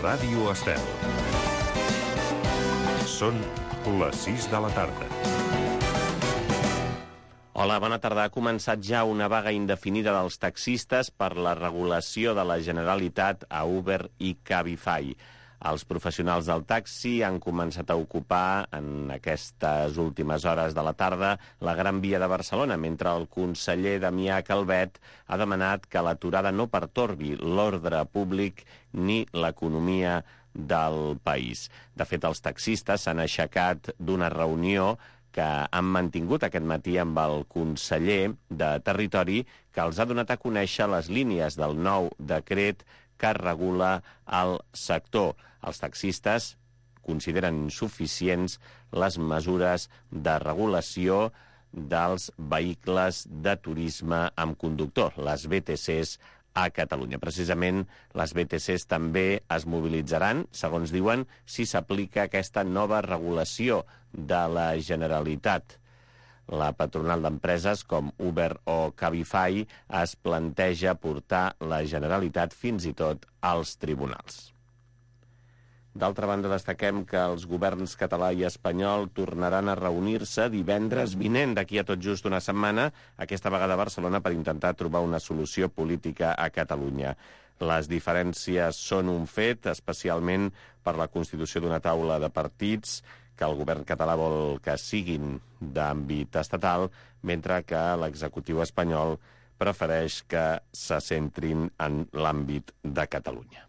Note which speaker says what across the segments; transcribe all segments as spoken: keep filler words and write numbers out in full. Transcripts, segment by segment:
Speaker 1: Ràdio Estel. Són les sis de la tarda.
Speaker 2: Hola, bona tarda. Ha començat ja una vaga indefinida dels taxistes per la regulació de la Generalitat a Uber i Cabify. Els professionals del taxi han començat a ocupar en aquestes últimes hores de la tarda la Gran Via de Barcelona, mentre el conseller Damià Calvet ha demanat que l'aturada no pertorbi l'ordre públic ni l'economia del país. De fet, els taxistes s'han aixecat d'una reunió que han mantingut aquest matí amb el conseller de Territori, que els ha donat a conèixer les línies del nou decret que regula el sector. Els taxistes consideren insuficients les mesures de regulació dels vehicles de turisme amb conductor, les B T Cs, a Catalunya. Precisament, les B T Cs també es mobilitzaran, segons diuen, si s'aplica aquesta nova regulació de la Generalitat. La patronal d'empreses com Uber o Cabify es planteja portar la Generalitat fins i tot als tribunals. D'altra banda, destaquem que els governs català i espanyol tornaran a reunir-se divendres vinent, d'aquí a tot just una setmana, aquesta vegada a Barcelona, per intentar trobar una solució política a Catalunya. Les diferències són un fet, especialment per la constitució d'una taula de partits, que el govern català vol que siguin d'àmbit estatal, mentre que l'executiu espanyol prefereix que se centrin en l'àmbit de Catalunya.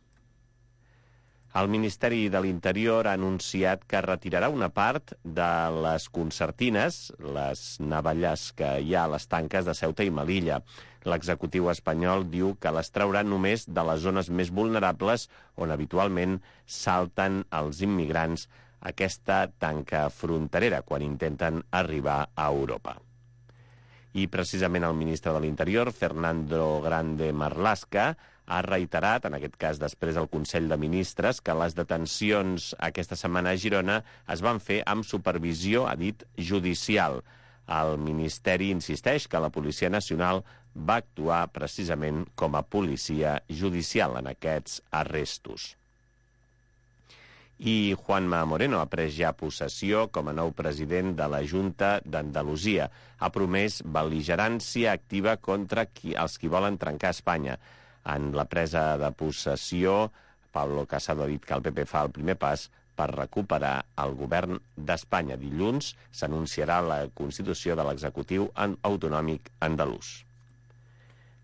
Speaker 2: El Ministeri de l'Interior ha anunciat que retirarà una part de les concertines, les navalles que hi ha a les tanques de Ceuta i Melilla. L'executiu espanyol diu que les traurà només de les zones més vulnerables on habitualment salten els immigrants aquesta tanca fronterera quan intenten arribar a Europa. I precisament el ministre de l'Interior, Fernando Grande Marlaska, ha reiterat, en aquest cas després del Consell de Ministres, que les detencions aquesta setmana a Girona es van fer amb supervisió, ha dit, judicial. El Ministeri insisteix que la Policia Nacional va actuar precisament com a policia judicial en aquests arrestos. I Juanma Moreno ha pres ja possessió com a nou president de la Junta d'Andalusia. Ha promès bel·ligerància activa contra qui, els qui volen trencar Espanya. En la presa de possessió, Pablo Casado ha dit que el P P fa el primer pas per recuperar el govern d'Espanya. Dilluns s'anunciarà la constitució de l'executiu autonòmic andalús.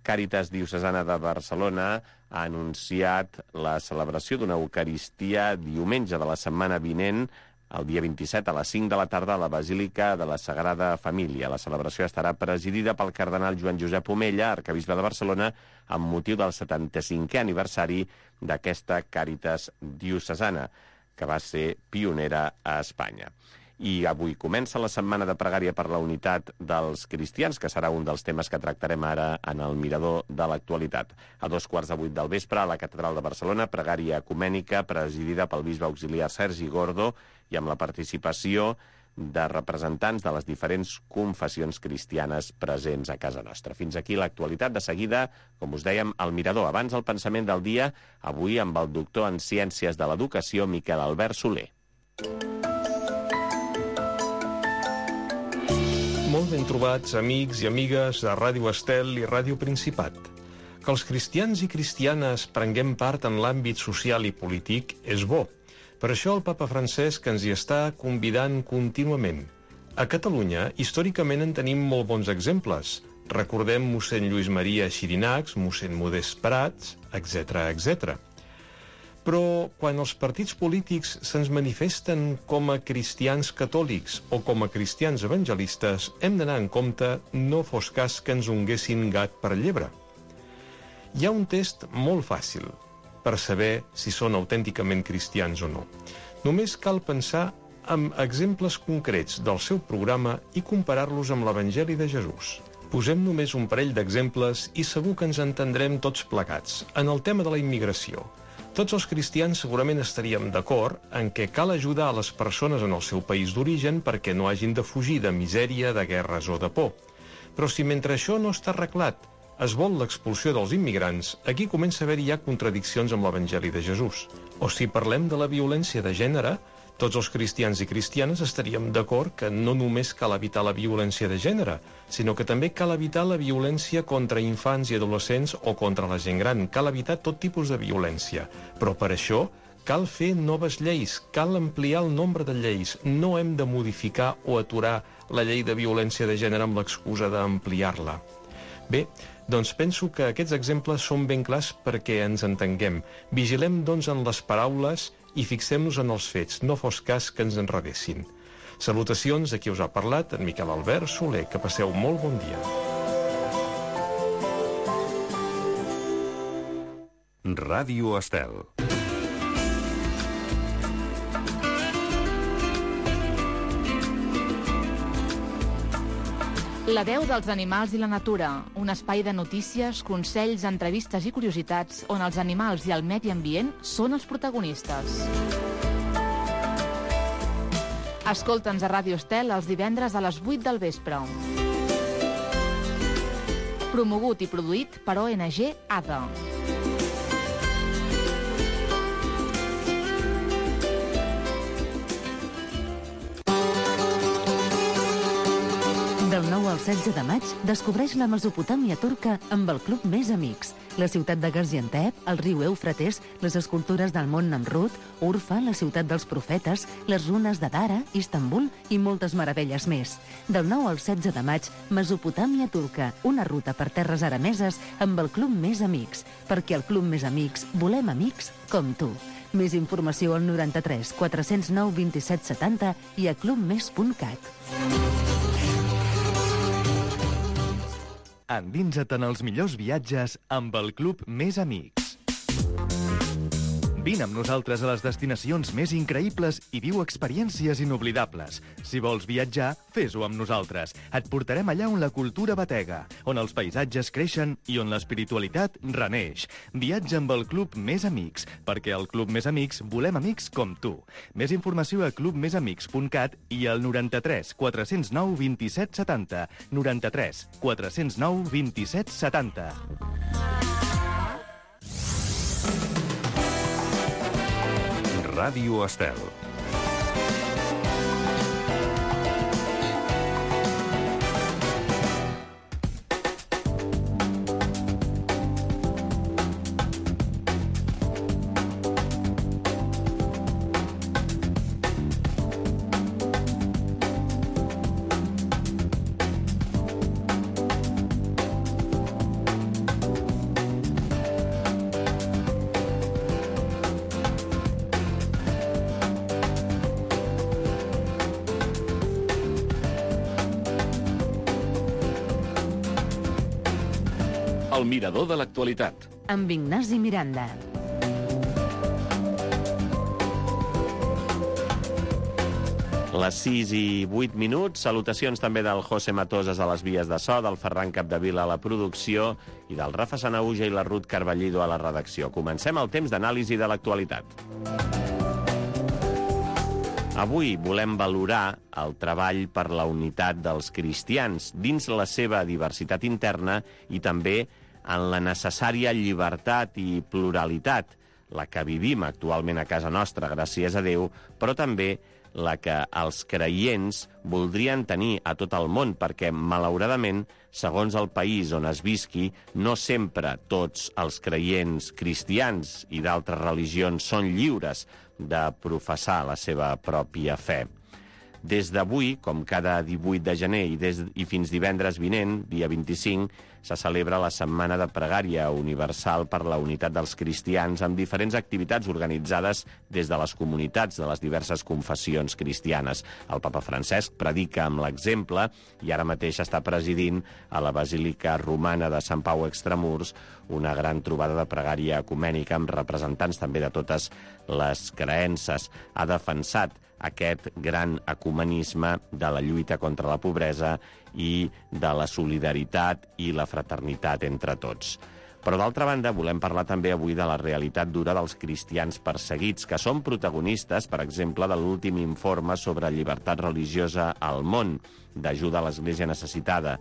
Speaker 2: Càritas Diocesana de Barcelona ha anunciat la celebració d'una Eucaristia diumenge de la setmana vinent, el dia vint-i-set a les cinc de la tarda a la Basílica de la Sagrada Família. La celebració estarà presidida pel cardenal Joan Josep Omella, arquebisbe de Barcelona, amb motiu del setanta-cinquè aniversari d'aquesta Càritas Diocesana, que va ser pionera a Espanya. I avui comença la setmana de pregària per la unitat dels cristians, que serà un dels temes que tractarem ara en el Mirador de l'actualitat. A dos quarts de vuit del vespre, a la Catedral de Barcelona, pregària ecumènica presidida pel bisbe auxiliar Sergi Gordo i amb la participació de representants de les diferents confessions cristianes presents a casa nostra. Fins aquí l'actualitat. De seguida, com us dèiem, el Mirador. Abans el pensament del dia, avui amb el doctor en Ciències de l'Educació, Miquel Albert Soler.
Speaker 3: Molt ben trobats, amics i amigues de Ràdio Estel i Ràdio Principat. Que els cristians i cristianes prenguem part en l'àmbit social i polític és bo. Per això el papa Francesc ens hi està convidant contínuament. A Catalunya, històricament en tenim molt bons exemples. Recordem mossèn Lluís Maria Xirinacs, mossèn Modest Prats, etcètera, etcètera. Però quan els partits polítics se'ns manifesten com a cristians catòlics o com a cristians evangelistes, hem d'anar en compte no fos cas que ens unguessin gat per llebre. Hi ha un test molt fàcil per saber si són autènticament cristians o no. Només cal pensar en exemples concrets del seu programa i comparar-los amb l'Evangeli de Jesús. Posem només un parell d'exemples i segur que ens entendrem tots plegats. En el tema de la immigració, tots els cristians segurament estaríem d'acord en què cal ajudar a les persones en el seu país d'origen perquè no hagin de fugir de misèria, de guerres o de por. Però si mentre això no està arreglat es vol l'expulsió dels immigrants, aquí comença a haver-hi ja contradiccions amb l'Evangeli de Jesús. O si parlem de la violència de gènere, tots els cristians i cristianes estaríem d'acord que no només cal evitar la violència de gènere, sinó que també cal evitar la violència contra infants i adolescents o contra la gent gran. Cal evitar tot tipus de violència. Però per això cal fer noves lleis, cal ampliar el nombre de lleis. No hem de modificar o aturar la llei de violència de gènere amb l'excusa d'ampliar-la. Bé, doncs penso que aquests exemples són ben clars perquè ens entenguem. Vigilem, doncs, en les paraules i fixem-nos en els fets, no fos cas que ens enredessin. Salutacions de qui us ha parlat, en Miquel Albert Soler. Que passeu molt bon dia.
Speaker 1: Ràdio Estel.
Speaker 4: La veu dels animals i la natura, un espai de notícies, consells, entrevistes i curiositats on els animals i el medi ambient són els protagonistes. Escolta'ns a Ràdio Estel els divendres a les vuit del vespre. Promogut i produït per O N G A D A.
Speaker 5: Del nou al setze de maig, descobreix la Mesopotàmia turca amb el Club Més Amics. La ciutat de Gaziantep, el riu Eufrates, les escultures del mont Namrud, Urfa, la ciutat dels profetes, les runes de Dara, Istanbul i moltes meravelles més. Del nou al setze de maig, Mesopotàmia turca, una ruta per terres arameses amb el Club Més Amics. Perquè al Club Més Amics volem amics com tu. Més informació al noranta-tres quatre-cents nou vint-i-set setanta i a clubmes punt cat.
Speaker 6: Endinsa't en els millors viatges amb el Club Més Amics. Vine amb nosaltres a les destinacions més increïbles i viu experiències inoblidables. Si vols viatjar, fes-ho amb nosaltres. Et portarem allà on la cultura batega, on els paisatges creixen i on l'espiritualitat reneix. Viatja amb el Club Més Amics, perquè al Club Més Amics volem amics com tu. Més informació a club més amics punt cat i al noranta-tres quatre-cents nou vint-i-set setanta. noranta-tres quatre-cents nou vint-i-set setanta.
Speaker 1: Ràdio Estel.
Speaker 7: El mirador de l'actualitat.
Speaker 5: Amb Ignasi Miranda.
Speaker 2: Les sis i vuit minuts. Salutacions també del José Matosas a les vies de so, del Ferran Capdevila a la producció i del Rafa Sanauja i la Ruth Carballido a la redacció. Comencem el temps d'anàlisi de l'actualitat. Avui volem valorar el treball per la unitat dels cristians dins la seva diversitat interna i també en la necessària llibertat i pluralitat, la que vivim actualment a casa nostra, gràcies a Déu, però també la que els creients voldrien tenir a tot el món, perquè, malauradament, segons el país on es visqui, no sempre tots els creients cristians i d'altres religions són lliures de professar la seva pròpia fe. Des d'avui, com cada divuit de gener i, des, i fins divendres vinent, dia vint-i-cinc, se celebra la Setmana de Pregària Universal per la Unitat dels Cristians amb diferents activitats organitzades des de les comunitats de les diverses confessions cristianes. El papa Francesc predica amb l'exemple i ara mateix està presidint a la Basílica Romana de Sant Pau Extramurs una gran trobada de pregària ecumènica amb representants també de totes les creences. Ha defensat aquest gran ecumenisme de la lluita contra la pobresa i de la solidaritat i la fraternitat entre tots. Però, d'altra banda, volem parlar també avui de la realitat dura dels cristians perseguits, que són protagonistes, per exemple, de l'últim informe sobre llibertat religiosa al món, d'ajuda a l'Església necessitada.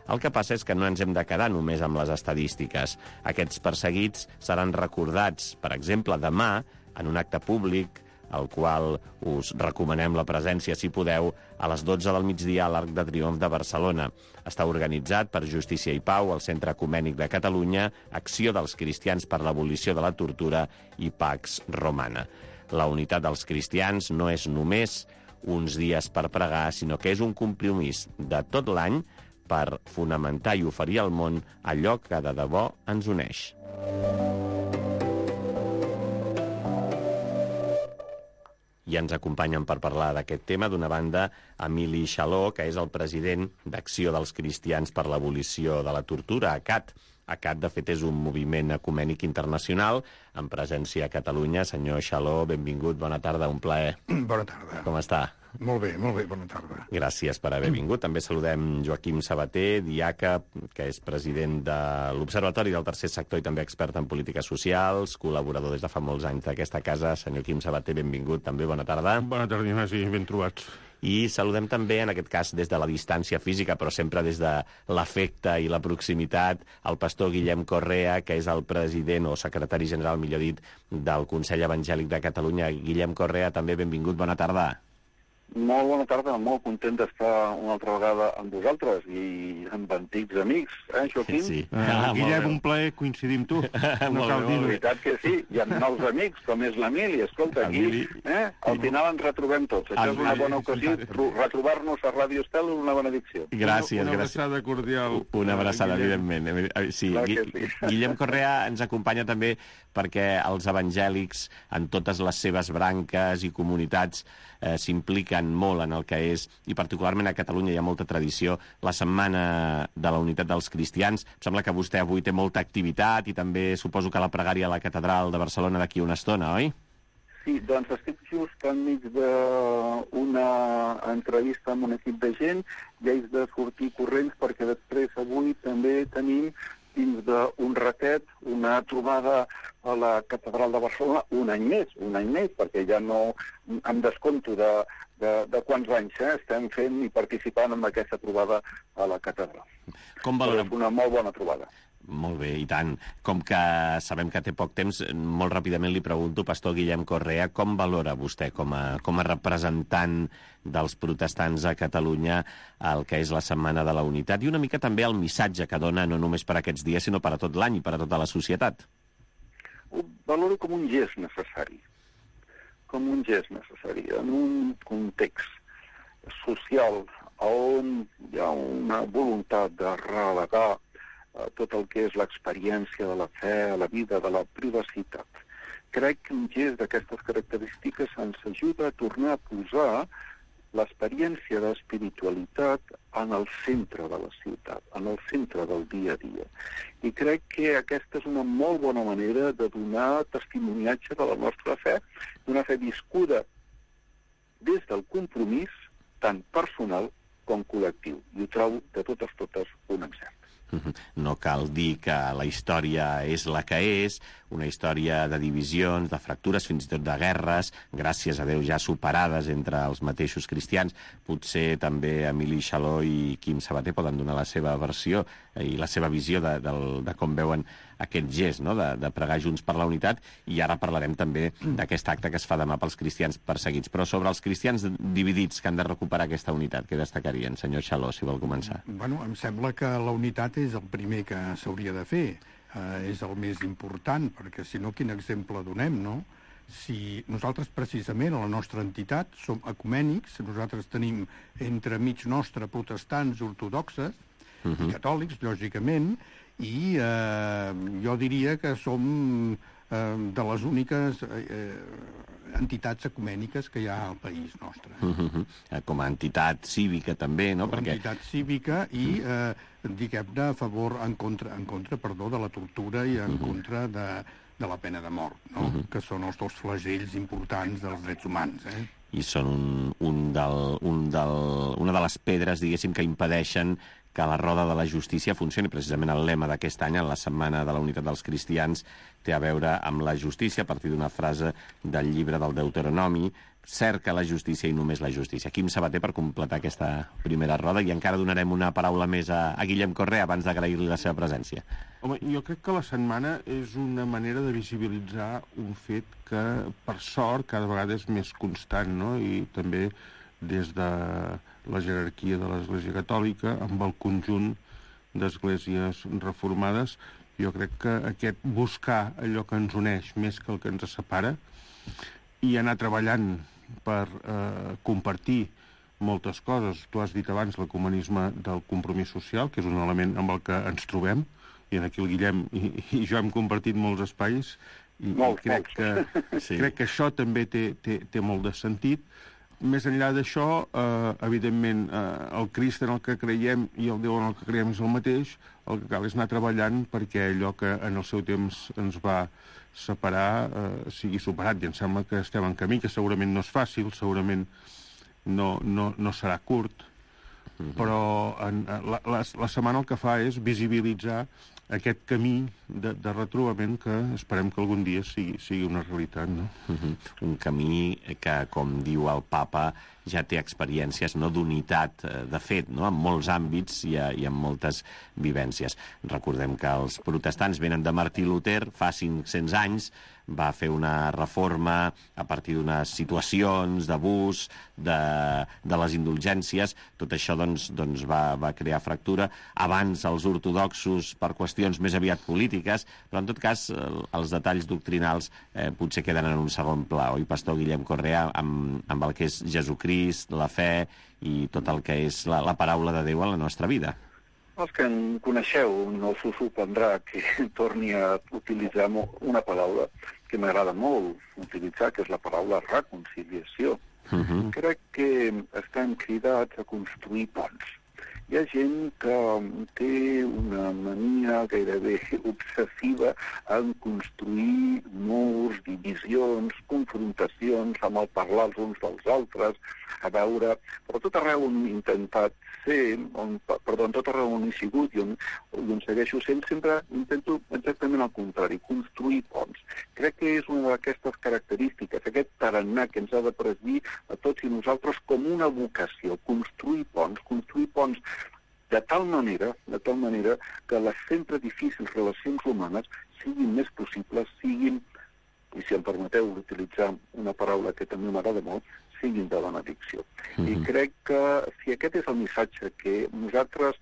Speaker 2: El que passa és que no ens hem de quedar només amb les estadístiques. Aquests perseguits seran recordats, per exemple, demà, en un acte públic, al qual us recomanem la presència, si podeu, a les dotze del migdia a l'Arc de Triomf de Barcelona. Està organitzat per Justícia i Pau, el Centre Ecumènic de Catalunya, Acció dels Cristians per l'Abolició de la Tortura i Pax Romana. La unitat dels cristians no és només uns dies per pregar, sinó que és un compromís de tot l'any per fonamentar i oferir al món allò que de debò ens uneix. I ens acompanyen per parlar d'aquest tema, d'una banda, Emili Xaló, que és el president d'Acció dels Cristians per l'Abolició de la Tortura, A C A T. A C A T, de fet, és un moviment ecumènic internacional amb presència a Catalunya. Senyor Xaló, benvingut, bona tarda, un plaer.
Speaker 8: Bona tarda.
Speaker 2: Com està?
Speaker 8: Molt bé, molt bé, bona tarda.
Speaker 2: Gràcies per haver vingut. També saludem Joaquim Sabater, diaca, que és president de l'Observatori del Tercer Sector i també expert en polítiques socials, col·laborador des de fa molts anys d'aquesta casa. Senyor Quim Sabater, benvingut, també bona tarda.
Speaker 8: Bona tarda, Ignasi, ben trobats.
Speaker 2: I saludem també, en aquest cas, des de la distància física, però sempre des de l'afecte i la proximitat, el pastor Guillem Correa, que és el president o secretari general, millor dit, del Consell Evangèlic de Catalunya. Guillem Correa, també benvingut, bona tarda.
Speaker 9: Molt bona tarda, molt content d'estar una altra vegada amb vosaltres i amb antics amics, eh, Joaquim?
Speaker 2: Sí.
Speaker 8: Uh, Guillem, un plaer coincidir amb tu. No cal dir-ho.
Speaker 9: La veritat que sí, hi ha nous amics, com és l'Emili. Escolta, aquí, eh, al final ens retrobem tots. Això és una bona ocasió, retrobar-nos a Ràdio Estel és una benedicció.
Speaker 2: Gràcies,
Speaker 8: una
Speaker 2: gràcies.
Speaker 8: abraçada cordial.
Speaker 2: Una abraçada, evidentment. Sí,
Speaker 9: sí.
Speaker 2: Guillem Correa ens acompanya també perquè els evangèlics, en totes les seves branques i comunitats, eh, s'impliquen molt en el que és, i particularment a Catalunya hi ha molta tradició, la Setmana de la Unitat dels Cristians. Em sembla que vostè avui té molta activitat i també suposo que la pregària a la Catedral de Barcelona d'aquí una estona, oi?
Speaker 9: Sí, doncs estic just enmig d'una entrevista amb un equip de gent i haig de sortir corrents perquè després avui també tenim dins d'un ratet una trobada a la Catedral de Barcelona un any més, un any més, perquè ja no em descompto de, de, de quants anys eh, estem fent i participant en aquesta trobada a la Catedral.
Speaker 2: Com valora...
Speaker 9: És una molt bona trobada.
Speaker 2: Molt bé, i tant. Com que sabem que té poc temps, molt ràpidament li pregunto, pastor Guillem Correa, com valora vostè com a, com a representant dels protestants a Catalunya el que és la Setmana de la Unitat i una mica també el missatge que dona no només per aquests dies, sinó per a tot l'any i per a tota la societat?
Speaker 9: Ho valoro com un gest necessari, com un gest necessari, en un context social on hi ha una voluntat de relegar tot el que és l'experiència de la fe, la vida, de la privacitat. Crec que un gest d'aquestes característiques ens ajuda a tornar a posar l'experiència d'espiritualitat en el centre de la ciutat, en el centre del dia a dia. I crec que aquesta és una molt bona manera de donar testimoniatge de la nostra fe, d'una fe viscuda des del compromís tant personal com col·lectiu. I ho trobo de totes totes un encert.
Speaker 2: No cal dir que la història és la que és, una història de divisions, de fractures, fins i tot de guerres, gràcies a Déu ja superades entre els mateixos cristians. Potser també Emili Xaló i Quim Sabater poden donar la seva versió i la seva visió de, de, de com veuen aquest gest, no? de, de pregar junts per la unitat, i ara parlarem també d'aquest acte que es fa demà pels cristians perseguits. Però sobre els cristians dividits que han de recuperar aquesta unitat, què destacarien? Senyor Xaló, si vol començar.
Speaker 8: Bueno, em sembla que la unitat és el primer que s'hauria de fer. Uh, és el més important, perquè si no, quin exemple donem, no? Si nosaltres, precisament, a la nostra entitat, som ecumènics, nosaltres tenim entre mig nostre protestants ortodoxes uh-huh. i catòlics, lògicament, i eh, jo diria que som eh, de les úniques eh, entitats ecumèniques que hi ha al país nostre.
Speaker 2: Uh-huh. Com a entitat cívica també, no?
Speaker 8: Com a
Speaker 2: Perquè...
Speaker 8: entitat cívica i, eh, diguem-ne, a favor, en contra, en contra, perdó, de la tortura i en uh-huh. contra de, de la pena de mort, no? Uh-huh. Que són els dos flagells importants dels drets humans, eh?
Speaker 2: I són un, un del, un del, una de les pedres, diguéssim, que impedeixen que la roda de la justícia funcioni. Precisament el lema d'aquest any, en la Setmana de la Unitat dels Cristians, té a veure amb la justícia, a partir d'una frase del llibre del Deuteronomi, cerca la justícia i només la justícia. Quim Sabater, per completar aquesta primera roda, i encara donarem una paraula més a, a Guillem Correa abans d'agrair-li la seva presència.
Speaker 10: Home, jo crec que la setmana és una manera de visibilitzar un fet que, per sort, cada vegada és més constant, no? I també des de la jerarquia de l'Església Catòlica, amb el conjunt d'esglésies reformades, jo crec que aquest buscar allò que ens uneix més que el que ens separa i anar treballant per eh, compartir moltes coses. Tu has dit abans l'ecumenisme del compromís social, que és un element amb el que ens trobem, i aquí el Guillem i, i jo hem compartit molts espais, i,
Speaker 9: molts,
Speaker 10: i crec,
Speaker 9: molts.
Speaker 10: Que, sí. crec que això també té, té, té molt de sentit. Més enllà d'això, eh, evidentment, eh, el Crist en el que creiem i el Déu en el que creiem és el mateix, el que cal és anar treballant perquè allò que en el seu temps ens va separar eh, sigui superat, i em sembla que estem en camí, que segurament no és fàcil, segurament no, no, no serà curt, uh-huh. però en, la, la, la setmana el que fa és visibilitzar aquest camí de, de retrobament que esperem que algun dia sigui, sigui una realitat, no?
Speaker 2: Uh-huh. Un camí que, com diu el papa, ja té experiències no d'unitat, de fet, no? En molts àmbits i, a, i en moltes vivències. Recordem que els protestants venen de Martí Luter fa cinc-cents anys, va fer una reforma a partir d'unes situacions d'abús, de, de les indulgències. Tot això doncs, doncs va, va crear fractura. Abans els ortodoxos per qüestions més aviat polítiques, però en tot cas els detalls doctrinals eh, potser queden en un segon pla. Oi, pastor Guillem Correa, amb, amb el que és Jesucrist, la fe i tot el que és la, la paraula de Déu en la nostra vida.
Speaker 9: Els que en coneixeu no s'ho sorprendrà que torni a utilitzar una paraula que m'agrada molt utilitzar, que és la paraula reconciliació. Uh-huh. Crec que estem cridats a construir ponts. Hi ha gent que té una mania gairebé obsessiva en construir murs, divisions, confrontacions, amb el parlar els uns dels altres, a veure, però tot arreu on he intentat ser, on, perdó, tot arreu on he sigut i on, on segueixo sent, sempre intento exactament el contrari, construir ponts. Crec que és una d'aquestes característiques, aquest tarannà que ens ha de presidir a tots i nosaltres com una vocació, construir ponts, construir ponts de tal manera, de tal manera que les sempre difícils relacions humanes siguin més possibles, siguin, i si em permeteu utilitzar una paraula que també m'agrada molt, siguin de benedicció. Mm-hmm. I crec que si aquest és el missatge que nosaltres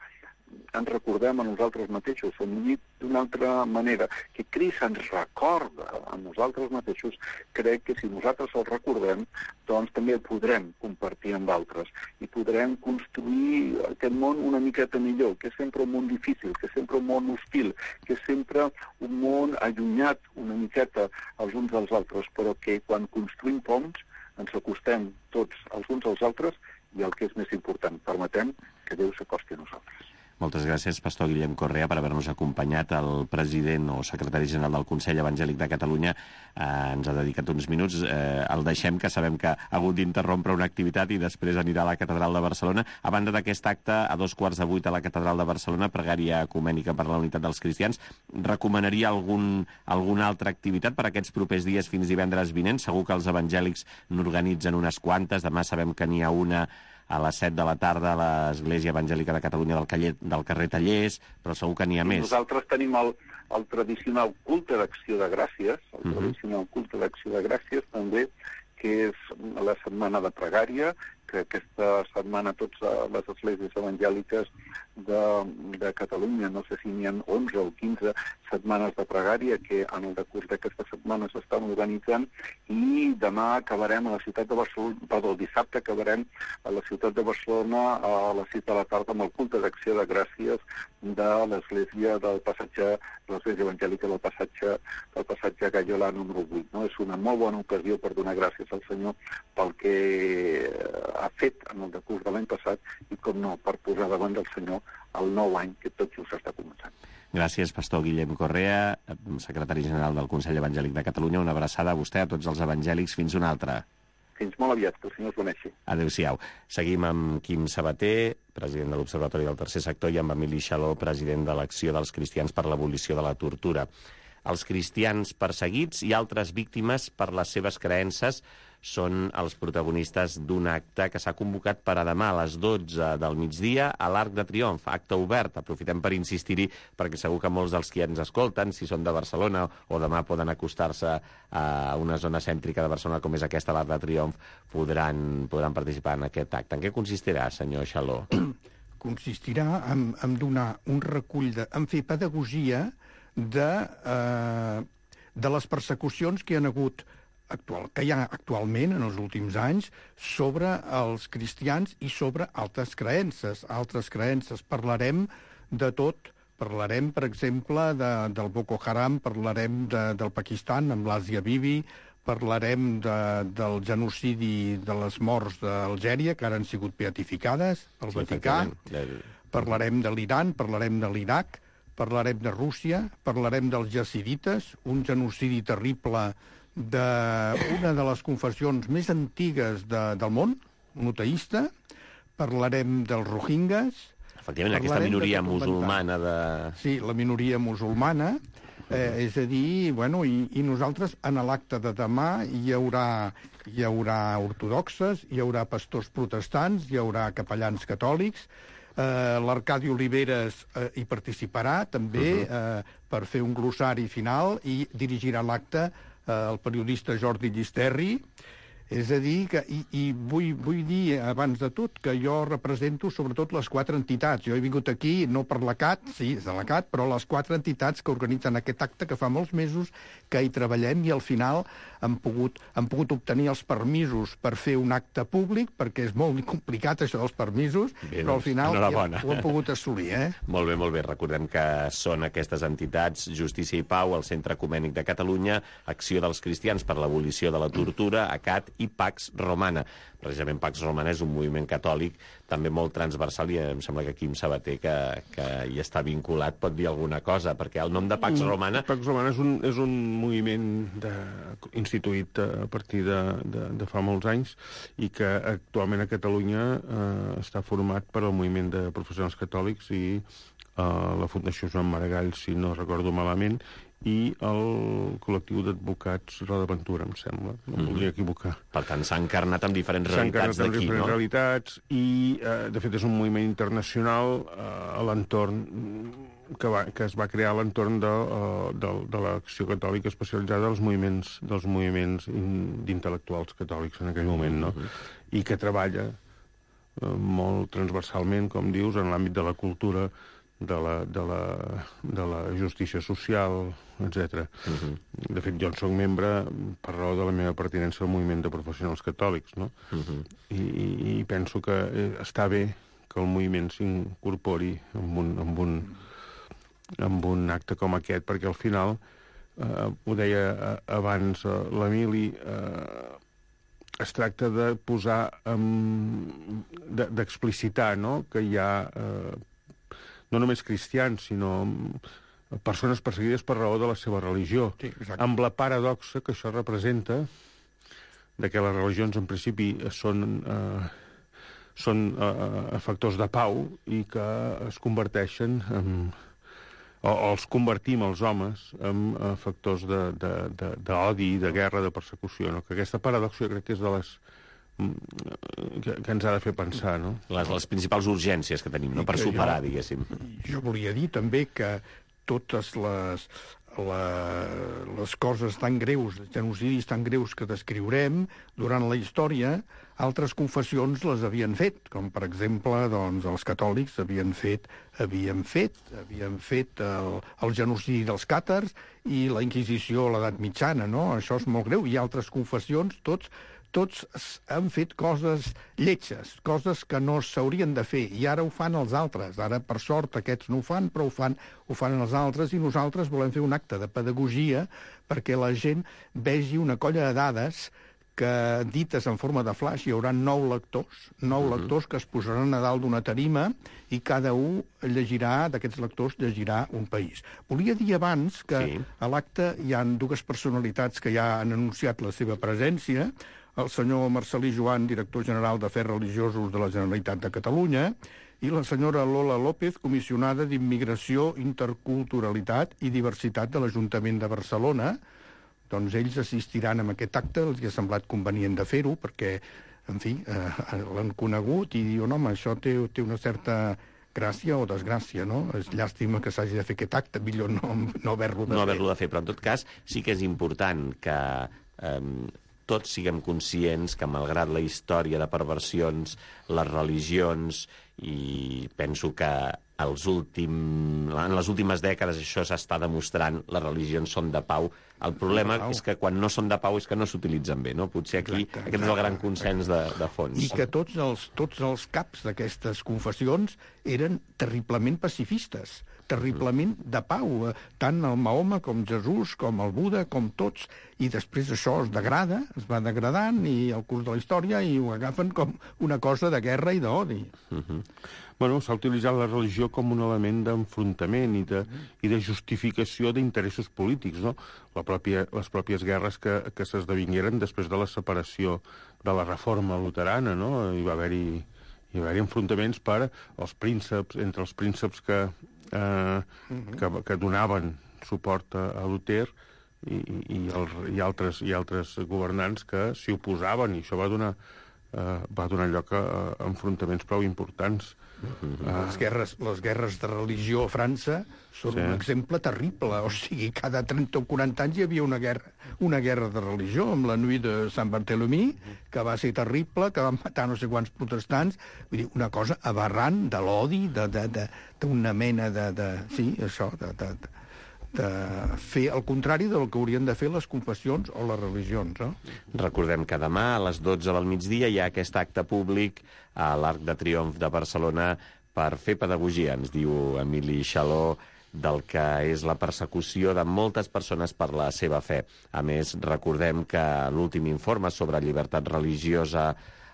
Speaker 9: ens recordem a nosaltres mateixos, o dit d'una altra manera, que Crist ens recorda a nosaltres mateixos, crec que si nosaltres el recordem, doncs també el podrem compartir amb d'altres i podrem construir aquest món una miqueta millor, que és sempre un món difícil, que és sempre un món hostil, que és sempre un món allunyat una miqueta els uns dels altres, però que quan construïm ponts ens acostem tots els uns als altres i el que és més important, permetem que Déu s'acosti a nosaltres.
Speaker 2: Moltes gràcies, pastor Guillem Correa, per haver-nos acompanyat. El president o secretari general del Consell Evangèlic de Catalunya eh, ens ha dedicat uns minuts. Eh, el deixem, que sabem que ha hagut d'interrompre una activitat i després anirà a la Catedral de Barcelona. A banda d'aquest acte, a dos quarts de vuit a la Catedral de Barcelona, pregària ecumènica per la unitat dels cristians. Recomanaria algun, alguna altra activitat per aquests propers dies fins divendres vinent? Segur que els evangèlics n'organitzen unes quantes. Demà sabem que n'hi ha una a les set de la tarda a l'Església Evangèlica de Catalunya del, Caller, del carrer Tallers, però segur que n'hi ha I més.
Speaker 9: Nosaltres tenim el, el tradicional culte d'acció de gràcies, el uh-huh. tradicional culte d'acció de gràcies també, que és la setmana de pregària, que aquesta setmana tots les esglésies evangèliques de, de Catalunya, no sé si n'hi ha onze o quinze setmanes de pregària que en el decurs d'aquesta setmana s'estan organitzant, i demà acabarem a la ciutat de Barcelona, perdó, dissabte acabarem a la ciutat de Barcelona a les sis de la tarda amb el culte d'acció de gràcies de l'església del passatge, l'església evangèlica del passatge, del passatge Gallolà número vuit. No? És una molt bona ocasió per donar gràcies al Senyor pel que ha fet en el decurs de l'any passat i, com no, per posar davant del Senyor el nou any que tot just està començant.
Speaker 2: Gràcies, pastor Guillem Correa, secretari general del Consell Evangèlic de Catalunya. Una abraçada a vostè, a tots els evangèlics. Fins una altra.
Speaker 9: Fins molt aviat, que el Senyor us beneixi.
Speaker 2: Adéu-siau. Seguim amb Quim Sabater, president de l'Observatori del Tercer Sector, i amb Emili Xaló, president de l'Acció dels Cristians per l'Abolició de la Tortura. Els cristians perseguits i altres víctimes per les seves creences són els protagonistes d'un acte que s'ha convocat per a demà a les dotze del migdia a l'Arc de Triomf, acte obert. Aprofitem per insistir-hi perquè segur que molts dels que ens escolten, si són de Barcelona o demà poden acostar-se a una zona cèntrica de Barcelona com és aquesta, l'Arc de Triomf, podran, podran participar en aquest acte. En què consistirà, senyor Xaló?
Speaker 8: Consistirà en, en donar un recull, de, en fer pedagogia de, eh, de les persecucions que hi ha hagut actual, que hi ha actualment en els últims anys sobre els cristians i sobre altres creences. Altres creences. Parlarem de tot. Parlarem, per exemple, de, del Boko Haram, parlarem de, del Pakistan amb l'Asia Bibi, parlarem de, del genocidi de les morts d'Algèria, que ara han sigut beatificades pel sí, Vaticà. Parlarem de l'Iran, parlarem de l'Iraq, parlarem de Rússia, parlarem dels jazidites, un genocidi terrible d'una de les confessions més antigues de, del món, monoteista. Parlarem dels rohingyes.
Speaker 2: Efectivament, aquesta minoria musulmana de...
Speaker 8: Sí, la minoria musulmana. Eh, és a dir, bueno, i, i nosaltres en l'acte de demà hi haurà, hi haurà ortodoxes, hi haurà pastors protestants, hi haurà capellans catòlics. Eh, L'Arcadi Oliveres eh, hi participarà també uh -huh. eh, per fer un glossari final i dirigirà l'acte el periodista Jordi Llisterri. És a dir, que, i, i vull, vull dir, abans de tot, que jo represento sobretot les quatre entitats. Jo he vingut aquí, no per l'A C A T, sí, és de l'A C A T, però les quatre entitats que organitzen aquest acte, que fa molts mesos que hi treballem, i al final hem pogut, hem pogut obtenir els permisos per fer un acte públic, perquè és molt complicat això dels permisos, bé, però al final ja ho hem pogut assolir. Eh?
Speaker 2: Molt bé, molt bé. Recordem que són aquestes entitats, Justícia i Pau, el Centre Ecumènic de Catalunya, Acció dels Cristians per l'Abolició de la Tortura, A C A T i Pax Romana. Precisament Pax Romana és un moviment catòlic també molt transversal i em sembla que Quim Sabater, que, que hi està vinculat, pot dir alguna cosa, perquè el nom de Pax Romana...
Speaker 10: Pax Romana és un, és un moviment de, instituït a partir de, de, de fa molts anys i que actualment a Catalunya eh, està format per el moviment de professionals catòlics i eh, la Fundació Joan Maragall, si no recordo malament, i el col·lectiu d'advocats Roda Ventura, em sembla. No em voldria equivocar.
Speaker 2: Per tant, s'ha encarnat amb diferents realitats d'aquí, no? S'ha encarnat amb diferents
Speaker 10: realitats i, eh, de fet, és un moviment internacional eh, a l'entorn que, va, que es va crear a l'entorn de, uh, de, de l'Acció Catòlica especialitzada dels moviments, dels moviments d'intel·lectuals catòlics en aquell moment, no? Uh -huh. I que treballa uh, molt transversalment, com dius, en l'àmbit de la cultura, de la, de la, de la justícia social, etcètera. Uh-huh. De fet, jo en soc membre per raó de la meva pertinença al moviment de professionals catòlics, no? Uh-huh. I, I penso que està bé que el moviment s'incorpori en un, en un, en un acte com aquest, perquè al final, eh, ho deia abans eh, l'Emili, eh, es tracta de posar, um, d'explicitar, no?, que hi ha... Eh, no només cristians, sinó persones perseguides per raó de la seva religió, sí, amb la paradoxa que això representa de que les religions en principi són, eh, són eh, factors de pau i que es converteixen en, o, o els convertim els homes en eh, factors d'odi, de, de, de guerra, de persecució, no? Que aquesta paradoxa jo crec que és de les Que, que ens ha de fer pensar, no?
Speaker 2: Les, les principals urgències que tenim, no? Per superar, jo, diguéssim.
Speaker 8: Jo volia dir també que totes les, la, les coses tan greus, els genocidis tan greus que descriurem durant la història, altres confessions les havien fet, com per exemple, doncs, els catòlics havien fet, havien fet, havien fet el, el genocidi dels càtars i la Inquisició a l'edat mitjana, no? Això és molt greu. I altres confessions, tots tots han fet coses lletges, coses que no s'haurien de fer, i ara ho fan els altres. Ara, per sort, aquests no ho fan, però ho fan, ho fan els altres, i nosaltres volem fer un acte de pedagogia perquè la gent vegi una colla de dades que, dites en forma de flaix, hi haurà nou lectors, nou uh-huh. lectors que es posaran a dalt d'una tarima i cada un llegirà, d'aquests lectors, llegirà un país. Volia dir abans que sí. A l'acte hi ha dues personalitats que ja han anunciat la seva presència, el senyor Marcel·lí Joan, director general d'Afers Religiosos de la Generalitat de Catalunya, i la senyora Lola López, comissionada d'Immigració, Interculturalitat i Diversitat de l'Ajuntament de Barcelona. Doncs ells assistiran a aquest acte, els ha semblat convenient de fer-ho, perquè, en fi, eh, l'han conegut i diuen, home, això té, té una certa gràcia o desgràcia, no? És llàstima que s'hagi de fer aquest acte, millor no, no haver-lo de
Speaker 2: no
Speaker 8: fer.
Speaker 2: haver-lo de fer, però en tot cas sí que és important que eh, tots siguem conscients que, malgrat la història de perversions, les religions, i penso que els últim, en les últimes dècades això s'està demostrant, les religions són de pau. El problema és que quan no són de pau és que no s'utilitzen bé, no? Potser aquí exacte, aquest exacte, és el gran consens de, de fons.
Speaker 8: I que tots els, tots els caps d'aquestes confessions eren terriblement pacifistes, terriblement de pau, tant el Mahoma com Jesús, com el Buda, com tots, i després això es degrada, es va degradant, i al curs de la història, i ho agafen com una cosa de guerra i d'odi.
Speaker 10: Uh-huh. Bueno, s'ha utilitzat la religió com un element d'enfrontament i de, i de justificació d'interessos polítics, no? La pròpia, les pròpies guerres que, que s'esdevingueren després de la separació de la reforma luterana, no? Hi va haver-hi hi va haver-hi enfrontaments per als prínceps, entre els prínceps que, eh, que, que donaven suport a, a Luter i, i, el, i, altres, i altres governants que s'hi oposaven, i això va donar, eh, va donar lloc a, a enfrontaments prou importants.
Speaker 8: Uh-huh. Les guerres, les guerres de religió a França són sí. un exemple terrible. O sigui, cada trenta o quaranta anys hi havia una guerra, una guerra de religió, amb la Nuit de Sant Barthelemy, que va ser terrible, que van matar no sé quants protestants. Vull dir, una cosa aberrant de l'odi, d'una mena de, de... Sí, això, de... de, de de fer el contrari del que haurien de fer les confessions o les religions. No?
Speaker 2: Recordem que demà a les dotze del migdia hi ha aquest acte públic a l'Arc de Triomf de Barcelona per fer pedagogia, ens diu Emili Xaló, del que és la persecució de moltes persones per la seva fe. A més, recordem que l'últim informe sobre llibertat religiosa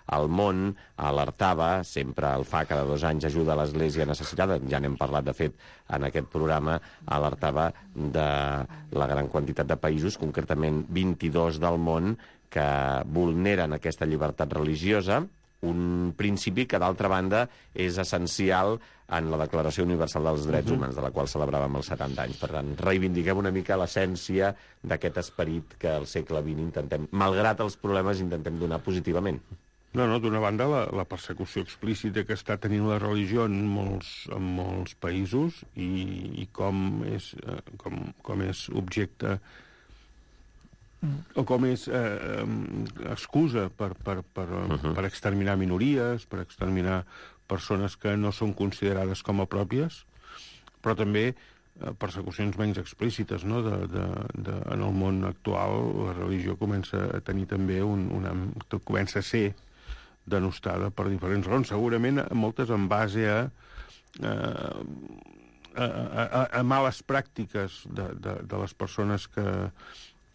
Speaker 2: al món alertava, sempre el fa cada dos anys, ajuda a l'Església necessitada, ja n'hem parlat de fet en aquest programa, alertava de la gran quantitat de països, concretament vint-i-dos del món, que vulneren aquesta llibertat religiosa, un principi que, d'altra banda, és essencial en la Declaració Universal dels Drets uh-huh. Humans, de la qual celebràvem els setanta anys. Per tant, reivindiquem una mica l'essència d'aquest esperit que al segle vint intentem, malgrat els problemes, intentem donar positivament.
Speaker 10: No, no, d'una banda, la, la persecució explícita que està tenint la religió en molts, en molts països i, i com, és, eh, com, com és objecte o com és eh, excusa per, per, per, uh-huh. per exterminar minories, per exterminar persones que no són considerades com a pròpies, però també eh, persecucions menys explícites, no? De, de, de, en el món actual la religió comença a tenir també un, una, comença a ser denostada per diferents raons, segurament moltes en base a, a, a, a, a males pràctiques de, de, de les persones que...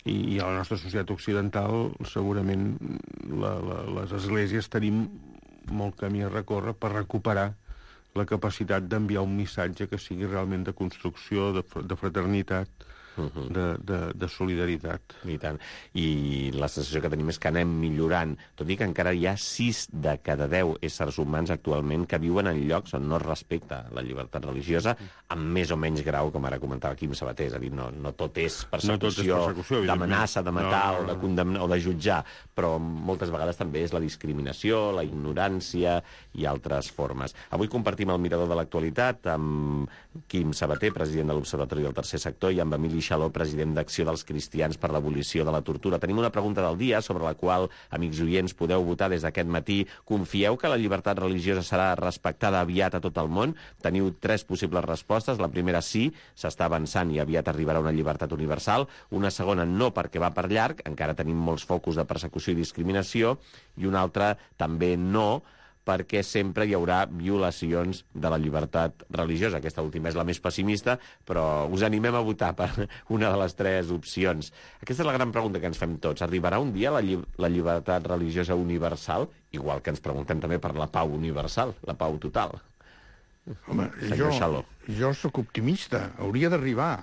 Speaker 10: I, i a la nostra societat occidental segurament la, la, les esglésies tenim molt camí a recórrer per recuperar la capacitat d'enviar un missatge que sigui realment de construcció, de, de fraternitat, Uh-huh. de, de, de solidaritat.
Speaker 2: I tant. I la sensació que tenim és que anem millorant, tot i que encara hi ha sis de cada deu éssers humans actualment que viuen en llocs on no es respecta la llibertat religiosa, amb més o menys grau, com ara comentava Quim Sabater, és a dir, no, no tot és persecució, no persecució d'amenaça, de matar no, no, no. o de condemnar o de jutjar, però moltes vegades també és la discriminació, la ignorància i altres formes. Avui compartim el mirador de l'actualitat amb Quim Sabater, president de l'Observatori del Tercer Sector, i amb Emili Xaló, president d'Acció dels Cristians per l'Abolició de la Tortura. Tenim una pregunta del dia sobre la qual, amics oients, podeu votar des d'aquest matí. Confieu que la llibertat religiosa serà respectada aviat a tot el món? Teniu tres possibles respostes. La primera, sí, s'està avançant i aviat arribarà una llibertat universal. Una segona, no, perquè va per llarg, encara tenim molts focus de persecució i discriminació. I una altra, també no, perquè sempre hi haurà violacions de la llibertat religiosa. Aquesta última és la més pessimista, però us animem a votar per una de les tres opcions. Aquesta és la gran pregunta que ens fem tots. Arribarà un dia la, lli la llibertat religiosa universal? Igual que ens preguntem també per la pau universal, la pau total.
Speaker 8: Home, jo, jo sóc optimista. Hauria d'arribar.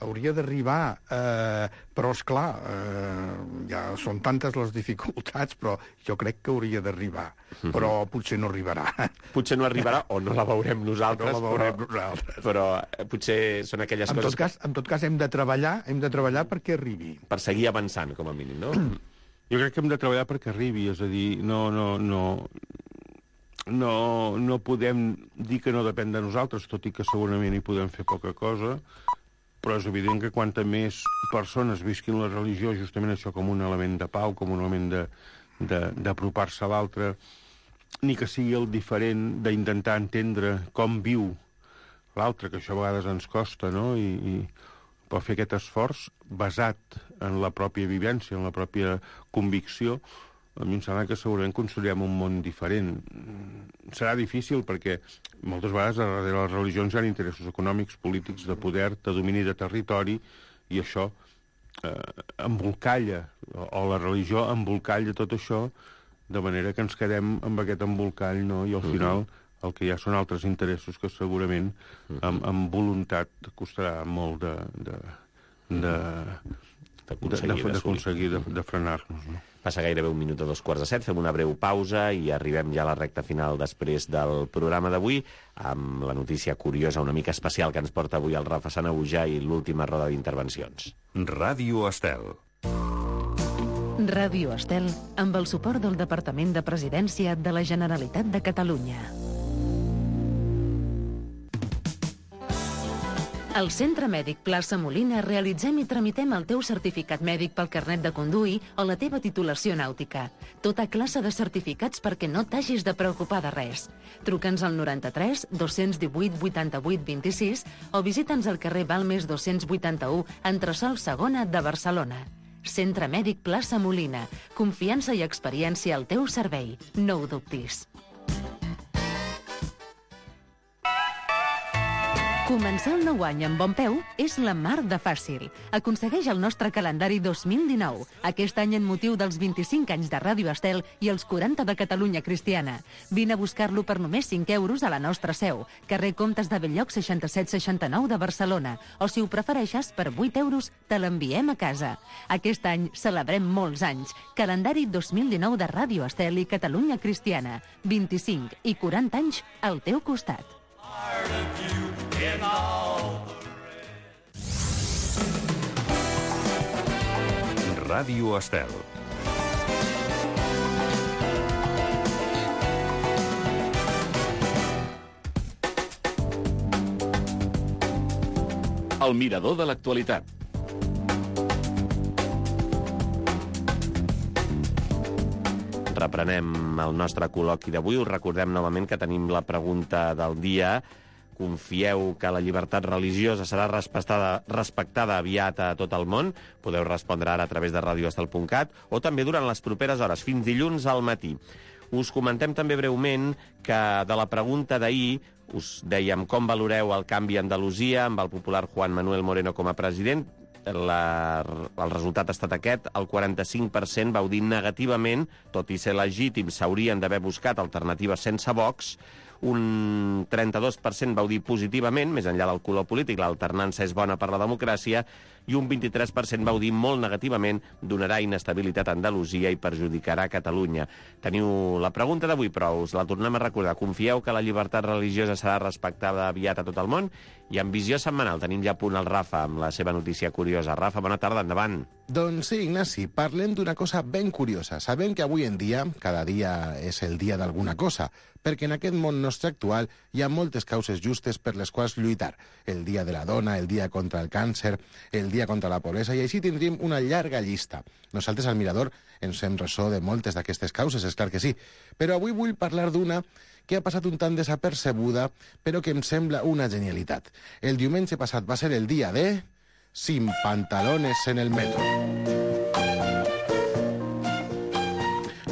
Speaker 8: hauria d'arribar, eh, però, esclar, eh, ja són tantes les dificultats, però jo crec que hauria d'arribar. Mm-hmm. Però potser no arribarà.
Speaker 2: Potser no arribarà o no la veurem nosaltres.
Speaker 8: No la veurem
Speaker 2: però,
Speaker 8: nosaltres.
Speaker 2: Però eh, potser són aquelles
Speaker 8: en
Speaker 2: coses...
Speaker 8: Tot cas, en tot cas, hem de treballar, hem de treballar perquè arribi.
Speaker 2: Per seguir avançant, com a mínim, no?
Speaker 10: Jo crec que hem de treballar perquè arribi, és a dir, no, no, no, no, no podem dir que no depèn de nosaltres, tot i que segurament hi podem fer poca cosa, però és evident que quanta més persones visquin la religió, justament això com un element de pau, com un element d'apropar-se a l'altre, ni que sigui el diferent d'intentar entendre com viu l'altre, que això a vegades ens costa, no? I, i per fer aquest esforç basat en la pròpia vivència, en la pròpia convicció, a mi em sembla que segurament construirem un món diferent. Serà difícil perquè moltes vegades darrere les religions hi ha interessos econòmics, polítics, de poder, de domini de territori, i això eh, embolcalla, o, o la religió embolcalla tot això, de manera que ens quedem amb aquest embolcall, no? I al final el que hi ha són altres interessos que segurament amb, amb voluntat costarà molt de, de, de, d'aconseguir de, de, de frenar-nos, no?
Speaker 2: Passa gairebé un minut a dos quarts de set, fem una breu pausa i arribem ja a la recta final després del programa d'avui, amb la notícia curiosa, una mica especial, que ens porta avui el Rafa Sanahuja i l'última roda d'intervencions.
Speaker 1: Ràdio Estel.
Speaker 5: Ràdio Estel, amb el suport del Departament de Presidència de la Generalitat de Catalunya. Al Centre Mèdic Plaça Molina realitzem i tramitem el teu certificat mèdic pel carnet de conduir o la teva titulació nàutica. Tota classe de certificats perquè no t'hagis de preocupar de res. Truca'ns al noranta-tres dos-cents divuit vuitanta-vuit vint-i-sis o visita'ns al carrer Balmes dos-cents vuitanta-u, entresòl segona de Barcelona. Centre Mèdic Plaça Molina. Confiança i experiència al teu servei. No ho dubtis. Començar el nou any amb bon peu és la mar de fàcil. Aconsegueix el nostre calendari dos mil dinou, aquest any en motiu dels vint-i-cinc anys de Ràdio Estel i els quaranta de Catalunya Cristiana. Vine a buscar-lo per només cinc euros a la nostra seu, carrer Comtes de Belllloc seixanta-set seixanta-nou de Barcelona, o si ho prefereixes, per vuit euros te l'enviem a casa. Aquest any celebrem molts anys. Calendari dos mil dinou de Ràdio Estel i Catalunya Cristiana. vint-i-cinc i quaranta anys al teu costat.
Speaker 1: Ràdio Estel.
Speaker 7: El mirador de l'actualitat.
Speaker 2: Reprenem el nostre col·loqui d'avui. Us recordem novament que tenim la pregunta del dia. Confieu que la llibertat religiosa serà respectada, respectada aviat a tot el món? Podeu respondre ara a través de radio estel punt cat o també durant les properes hores, fins dilluns al matí. Us comentem també breument que de la pregunta d'ahir us dèiem com valoreu el canvi a Andalusia amb el popular Juan Manuel Moreno com a president. La, el resultat ha estat aquest, el quaranta-cinc per cent vau dir negativament, tot i ser legítim, s'haurien d'haver buscat alternatives sense Vox. Un trenta-dos per cent vau dir positivament, més enllà del color polític, l'alternança és bona per la democràcia, i un vint-i-tres per cent vau dir molt negativament, donarà inestabilitat a Andalusia i perjudicarà Catalunya. Teniu la pregunta d'avui, però us la tornem a recordar. Confieu que la llibertat religiosa serà respectada aviat a tot el món? I en visió setmanal tenim ja a punt el Rafa amb la seva notícia curiosa. Rafa, bona tarda, endavant.
Speaker 11: Doncs sí, Ignasi, parlem d'una cosa ben curiosa. Sabem que avui en dia, cada dia és el dia d'alguna cosa, perquè en aquest món nostre actual hi ha moltes causes justes per les quals lluitar. El dia de la dona, el dia contra el càncer, el dia contra la pobresa, i així tindríem una llarga llista. Nosaltres al Mirador ens fem ressò de moltes d'aquestes causes, és clar que sí, però avui vull parlar d'una que ha passat un tant desapercebuda, però que em sembla una genialitat. El diumenge passat va ser el dia de... Sin pantalones en el metro.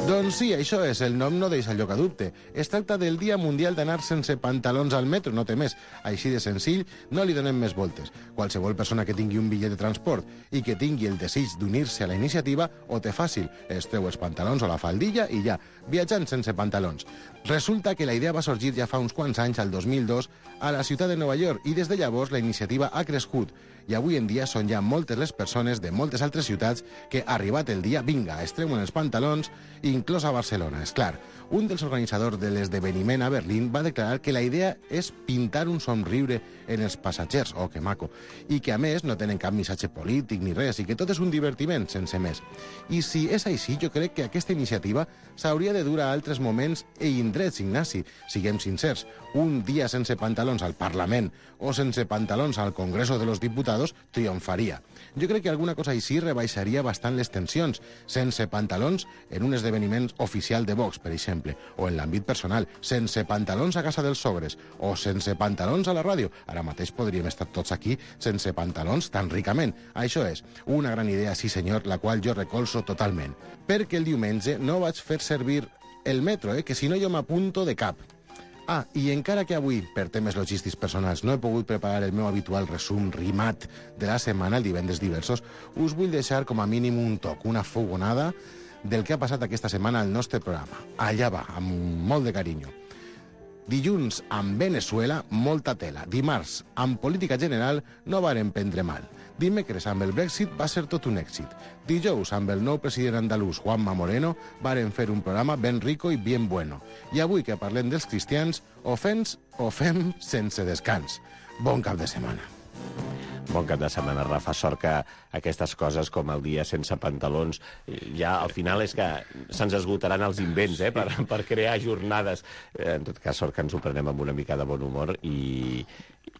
Speaker 11: Doncs sí, això és, el nom no deixa lloc a dubte. Es tracta del Dia Mundial d'anar sense pantalons al metro, no té més. Així de senzill, no li donem més voltes. Qualsevol persona que tingui un bitllet de transport i que tingui el desig d'unir-se a la iniciativa, ho té fàcil. Es treu els pantalons o la faldilla i ja, viatjant sense pantalons. Resulta que la idea va sorgir ja fa uns quants anys, al dos mil dos, a la ciutat de Nova York i des de llavors la iniciativa ha crescut i avui en dia són ja moltes les persones de moltes altres ciutats que, arribat el dia, vinga, es treuen els pantalons, inclòs a Barcelona. És clar, un dels organitzadors de l'esdeveniment a Berlín va declarar que la idea és pintar un somriure en els passatgers, oh, que maco, i que a més no tenen cap missatge polític ni res, i que tot és un divertiment, sense més. I si és així, jo crec que aquesta iniciativa s'hauria de dur a altres moments i indrets, Ignasi. Siguem sincers, un dia sense pantalons al Parlament o sense pantalons al Congreso de los Diputados triomfaria. Jo crec que alguna cosa així rebaixaria bastant les tensions, sense pantalons en un esdeveniment oficial de Vox, per exemple, o en l'àmbit personal, sense pantalons a casa dels sogres, o sense pantalons a la ràdio. Ara mateix podríem estar tots aquí sense pantalons tan ricament. Això és una gran idea, sí senyor, la qual jo recolzo totalment. Perquè el diumenge no vaig fer servir el metro, eh, que si no jo m'apunto de cap. Ah, i encara que avui, per temes logístics personals, no he pogut preparar el meu habitual resum rimat de la setmana, el divendres diversos, us vull deixar com a mínim un toc, una fogonada del que ha passat aquesta setmana al nostre programa. Allà va, amb molt de carinyo. Dilluns, amb Venezuela, molta tela. Dimarts, amb política general, no varen prendre mal. Dimecres, amb el Brexit, va ser tot un èxit. Dijous, amb el nou president andalús, Juanma Moreno, varen fer un programa ben rico i bien bueno. I avui que parlem dels cristians, o fem o fem sense descans. Bon cap de setmana.
Speaker 2: Bon cap de setmana, Rafa. Sort que aquestes coses, com el dia sense pantalons, ja al final és que se'ns esgotaran els invents, eh, per, per crear jornades. En tot cas, sort que ens ho prenem amb una mica de bon humor i,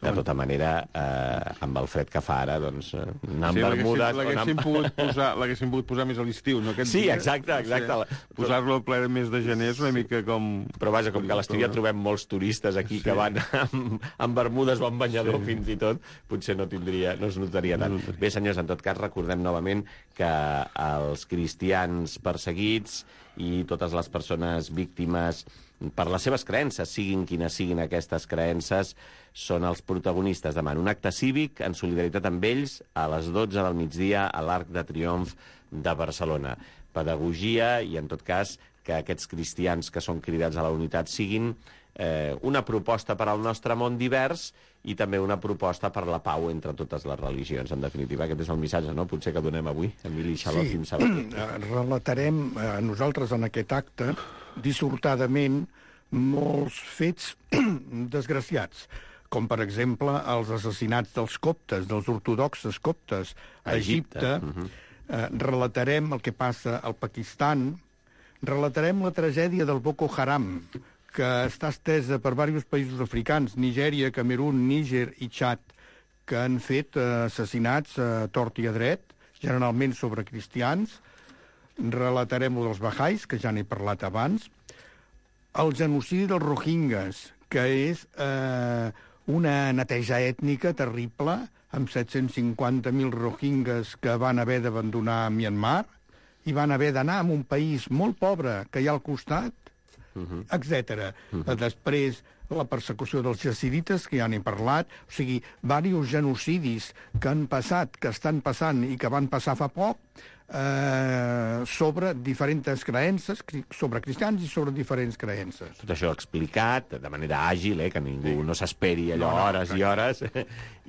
Speaker 2: de tota manera, eh, amb el fred que fa ara, doncs, anar amb
Speaker 10: sí,
Speaker 2: bermudes...
Speaker 10: L'haguéssim amb... pogut, posar, pogut posar més a l'estiu, no? Aquest
Speaker 2: sí,
Speaker 10: dia,
Speaker 2: exacte, exacte.
Speaker 10: Sí, posar-lo al ple de mes de gener és una mica com...
Speaker 2: Però vaja, com que a l'estiu ja trobem molts turistes aquí sí. que van amb, amb bermudes o amb banyador sí. fins i tot, potser no tindria, no es notaria tant. No, no. Bé, senyors, en tot cas, recordem novament que els cristians perseguits i totes les persones víctimes per les seves creences, siguin quines siguin aquestes creences, són els protagonistes demà. Un acte cívic en solidaritat amb ells a les dotze del migdia a l'Arc de Triomf de Barcelona. Pedagogia i, en tot cas, que aquests cristians que són cridats a la unitat siguin eh, una proposta per al nostre món divers i també una proposta per la pau entre totes les religions. En definitiva, aquest és el missatge, no? Potser que donem avui, Emili Xaló,
Speaker 8: sí.
Speaker 2: Quim Sabater.
Speaker 8: Relatarem eh, nosaltres en aquest acte, dissortadament, molts fets desgraciats, com per exemple els assassinats dels coptes, dels ortodoxes coptes a Egipte. Egipte. Uh-huh. eh, relatarem el que passa al Pakistan, relatarem la tragèdia del Boko Haram, que està estesa per diversos països africans, Nigèria, Camerún, Níger i Txad, que han fet eh, assassinats a tort i a dret, generalment sobre cristians. Relatarem el dels Bahais, que ja n'he parlat abans. El genocidi dels Rohingyes, que és eh, una neteja ètnica terrible, amb set-cents cinquanta mil Rohingyes que van haver d'abandonar Myanmar i van haver d'anar a un país molt pobre que hi ha al costat, uh-huh. etcètera. Uh-huh. Després, la persecució dels jazidites, que ja n'he parlat, o sigui, diversos genocidis que han passat, que estan passant i que van passar fa poc, eh, sobre diferents creences, sobre cristians i sobre diferents creences.
Speaker 2: Tot això explicat de manera àgil, eh, que ningú sí. no s'esperi allò no, no, hores que... i hores,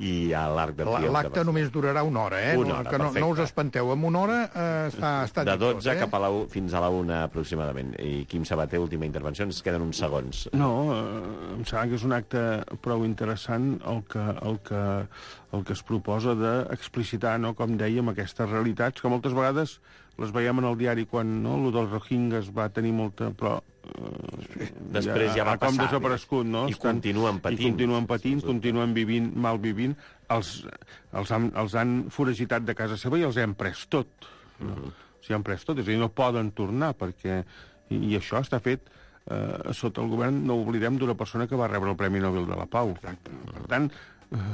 Speaker 2: i a l'Arc de Triomf.
Speaker 8: L'acte només durarà una hora, eh?
Speaker 2: Una hora,
Speaker 8: que no, no us espanteu, amb una hora eh, està, està
Speaker 2: de dotze
Speaker 8: tot, eh?
Speaker 2: cap a la u, fins a la una aproximadament. I Quim Sabater, última intervenció, ens queden uns segons.
Speaker 10: No, eh, em sembla que és un acte prou interessant el que, el que, el que es proposa d'explicitar, no, com dèiem, aquestes realitats, que moltes vegades les veiem en el diari quan no, el dels Rohingyes va tenir molta... però
Speaker 2: eh, després ja, ja va
Speaker 10: ha com
Speaker 2: passar.
Speaker 10: Desaparegut, no?
Speaker 2: I Estan, continuen patint.
Speaker 10: I continuen patint, sí, continuen vivint, mal vivint. Els, els, han, els han foragitat de casa seva i els han pres tot. No? Uh-huh. O sigui, han pres tot, és a dir, no poden tornar, perquè... I, i això està fet eh, sota el govern, no oblidem, d'una persona que va rebre el Premi Nobel de la Pau. Exacte. Per tant, eh,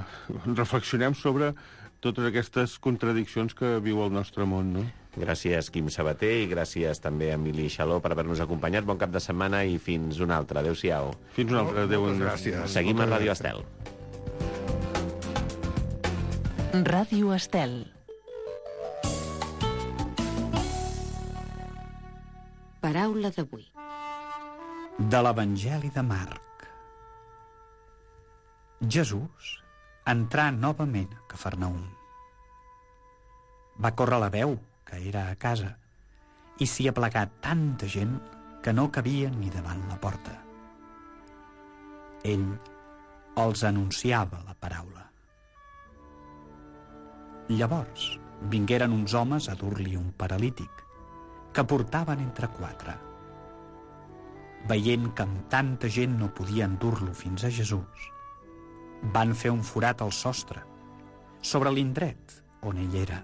Speaker 10: reflexionem sobre totes aquestes contradiccions que viu el nostre món, no?
Speaker 2: Gràcies, Quim Sabater, i gràcies també a Emili Xaló per haver-nos acompanyat. Bon cap de setmana i fins un altre. Adéu-siau.
Speaker 10: Fins un altre. Adéu.
Speaker 8: Gràcies.
Speaker 2: Seguim a Ràdio Estel.
Speaker 5: Ràdio Estel.
Speaker 12: Paraula d'avui.
Speaker 13: De l'Evangeli de Marc. Jesús entrà novament a Cafarnaum. Va córrer la veu que era a casa i s'hi aplegà tanta gent que no cabia ni davant la porta. Ell els anunciava la paraula. Llavors vingueren uns homes a dur-li un paralític que portaven entre quatre. Veient que amb tanta gent no podien dur-lo fins a Jesús, van fer un forat al sostre, sobre l'indret on ell era.